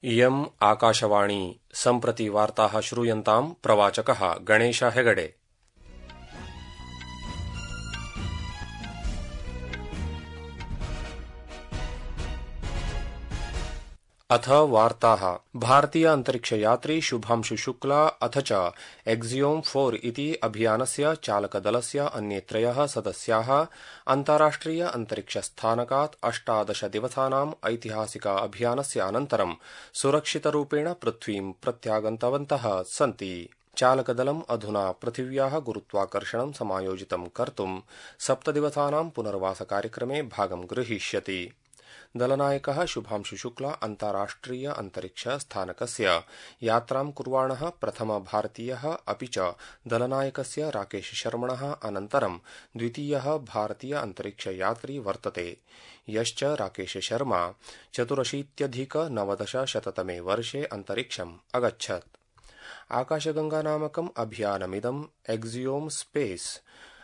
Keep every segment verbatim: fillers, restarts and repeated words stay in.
इयम् आकाशवाणी सम्प्रति वार्ताः श्रूयन्ताम् प्रवाचकः गणेश हेगडे। अथ वार्ताः। भारतीय अंतरिक्षयात्री शुभांशु शुक्ला अथ च एक्सियोम फोर इति अभियानस्य चालकदलस्य अन्ये त्रयः सदस्याः अन्ताराष्ट्रिय अंतरिक्षस्थानकात् अष्टादश दिवसानाम् ऐतिहासिक अभियानस्य अनन्तरं सुरक्षितरूपेण पृथ्वीं प्रत्यागन्तवन्तः सन्ति। चालकदलम् अधुना पृथिव्याः गुरुत्वाकर्षणं समायोजितं कर्तुं सप्तदिवसानां पुनर्वासकार्यक्रमे भागं गृहीष्यति। दलनायकः शुभांशु शुक्ला अन्ताराष्ट्रिय अंतरिक्ष स्थानकस्य यात्रां कुर्वाणः प्रथम भारतीयः अपि च दलनायकस्य राकेश शर्मणः अनन्तरं द्वितीयः भारतीय अंतरिक्ष यात्री वर्तते, यश्च राकेश शर्मा चतुरशीत्यधिक नवदशशततमे वर्षे अंतरिक्षम् अगच्छत्। आकाशगंगा नामकम् अभियानमिदम् एक्सियोम स्पेस,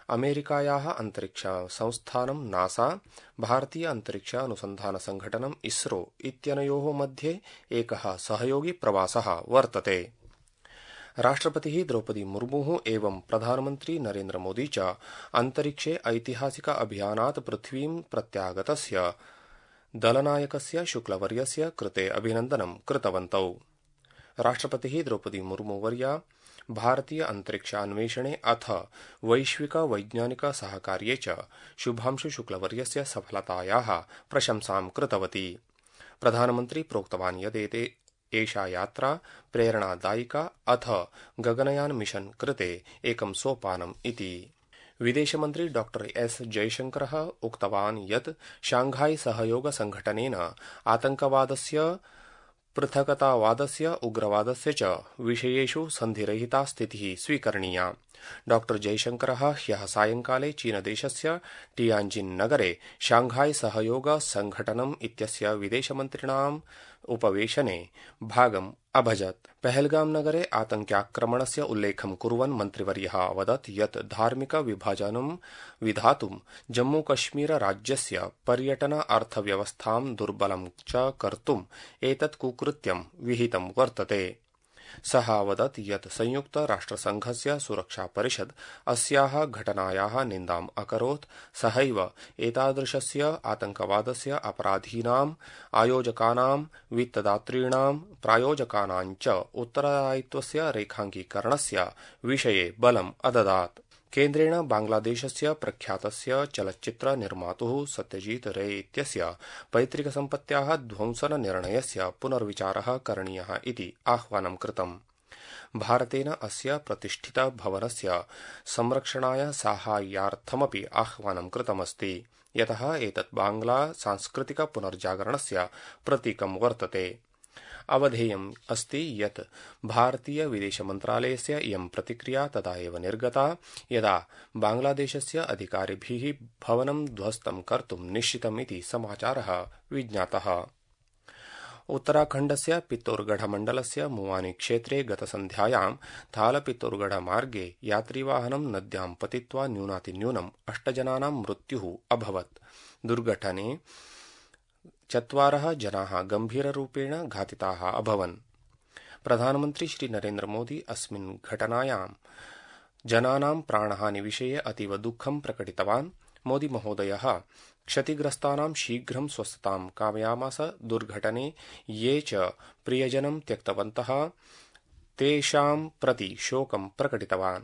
अमेरिकायाः अंतरिक्ष संस्थानं नासा, भारतीय अंतरिक्ष अनुसंधान संघटनम् इस्रो इत्यनयोः मध्ये एकः सहयोगी प्रवासः वर्तते। राष्ट्रपतिः द्रौपदी मुर्मुः एवं प्रधानमन्त्री नरेन्द्र मोदी च अंतरिक्षे ऐतिहासिक अभियानात् पृथ्वीं प्रत्यागतस्य दलनायकस्य शुक्लवर्यस्य कृते अभिनन्दनं कृतवन्तौ। राष्ट्रपतिः द्रौपदी मुर्मुवर्या भारतीय अंतरिक्षान्वेषणे अथ वैश्विक वैज्ञानिक सहकार्ये च शुभांशु शुक्लवर्यस्य सफलतायाः प्रशंसां कृतवती। प्रधानमन्त्री प्रोक्तवान् यदेते एषा यात्रा प्रेरणादायिका अथ गगनयान मिशन कृते एकं सोपानम् इति। विदेशमन्त्री डॉक्टर एस जयशंकरः उक्तवान् यत् शांघाई सहयोग संघटनेन आतंकवादस्य, पृथकतावादस्य, उग्रवादस्य च विषयेषु सन्धिरहिता स्थितिः स्वीकरणीया। डॉक्टर जयशंकरः ह्यः सायंकाले चीनदेशस्य टियानजिन नगरे शांघाई सहयोग संघटनम् इत्यस्य विदेशमन्त्रिणाम् उपवेशने भागम् अभजत्। पहलगाम नगरे आतंक्याक्रमणस्य उल्लेखं कुर्वन् मन्त्रिवर्यः अवदत् यत् धार्मिक विभाजनं विधातुं जम्मूकश्मीर राज्यस्य पर्यटन अर्थव्यवस्थां दुर्बलं च कर्तुम् एतत् कुकृत्यं विहितं वर्तते। सः अवदत् यत् संयुक्त राष्ट्रसंघस्य सुरक्षा परिषद् अस्याः घटनायाः निन्दाम् अकरोत्। सहैव एतादृशस्य आतंकवादस्य अपराधीनाम्, आयोजकानां, वित्तदातॄणां, प्रायोजकानां च उत्तरदायित्वस्य रेखाङ्कीकरणस्य विषये बलम् अददात्। केन्द्रेण बांग्लादेशस्य प्रख्यातस्य चलच्चित्र निर्मातुः सत्यजीत रे इत्यस्य पैतृकसम्पत्त्याः ध्वंसन निर्णयस्य पुनर्विचारः करणीयः इति आह्वानं कृतम्। भारतेन अस्य प्रतिष्ठित भवनस्य संरक्षणाय साहाय्यार्थमपि आह्वानं कृतमस्ति, यतः एतत् बांग्ला सांस्कृतिक पुनर्जागरणस्य प्रतीकं वर्तते। अवधेयम् अस्ति यत् भारतीय विदेशमन्त्रालयस्य इयं प्रतिक्रिया तदा एव निर्गता यदा बांग्लादेशस्य अधिकारिभिः भवनं ध्वस्तं कर्तुं निश्चितम् इति समाचारः विज्ञातः। उत्तराखण्डस्य पित्तौरगढ़-मण्डलस्य मुवानी क्षेत्रे गतसन्ध्यायां थाल-पित्तौरगढ़ मार्गे यात्रिवाहनं नद्यां पतित्वा न्यूनातिन्यूनम् अष्ट जनानां मृत्युः अभवत्। दुर्घटने चत्वारः जनाः गम्भीररूपेण घातिताः अभवन्। प्रधानमन्त्री श्री नरेन्द्र मोदी अस्मिन् घटनायां जनानां प्राणहानिविषये अतीव दुःखं प्रकटितवान्। मोदी महोदयः क्षतिग्रस्तानां शीघ्रं स्वस्थतां कामयामास। दुर्घटने ये च प्रियजनं त्यक्तवन्तः तेषां प्रति शोकं प्रकटितवान्।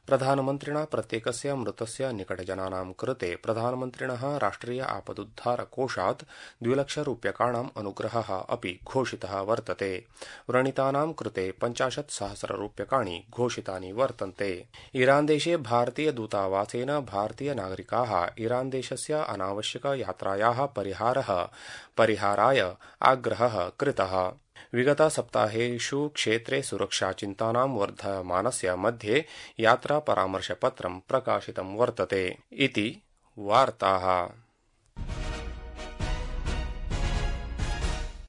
प्रधानमन्त्रिणा प्रत्येकस्य मृतस्य निकटजनानां कृते प्रधानमन्त्रिणः राष्ट्रिय आपदुद्धार कोषात् द्विलक्षरूप्यकाणाम् अनुग्रहः अपि घोषितः वर्तते। व्रणितानां कृते पञ्चाशत् सहस्ररूप्यकाणि घोषितानि वर्तन्ते। ईरान देशे भारतीय दूतावासेन भारतीय नागरिकाः ईरान देशस्य अनावश्यक यात्रायाः परिहारः परिहाराय आग्रहः कृतः। विगत सप्ताहेषु क्षेत्रे सुरक्षाचिन्तानां वर्धमानस्य मध्ये यात्रा परामर्शपत्रं प्रकाशितं वर्तते इति वार्ताः।